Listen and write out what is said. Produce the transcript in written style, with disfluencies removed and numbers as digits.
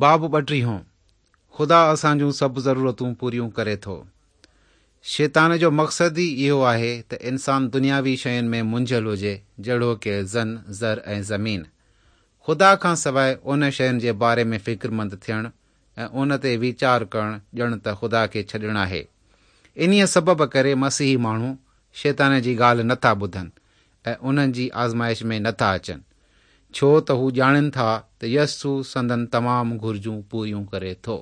باب ٻٽيهون، خدا اسان جون سڀ ضرورتون پوريون ڪري ٿو. شيطان جو مقصد ئي اهو آهي ته انسان دنياوي شين ۾ منجهيل هجي جهڙوڪ زن، زر ۽ زمين. خدا کان سواء ان شين جي باري ۾ فڪرمند ٿيڻ ۽ ان تي ويچار ڪرڻ ڄڻ ته خدا کي ڇڏڻ آهي. انهيء سبب ڪري مسيحي ماڻهو شيطان جي ڳالهه نه ٿا ٻڌن ۽ انهن جي آزمائش ۾ نه ٿا اچن، ڇو ته هو ڄاڻين ٿا ته يسوع سندن تمام گهرجون پوريون ڪري ٿو.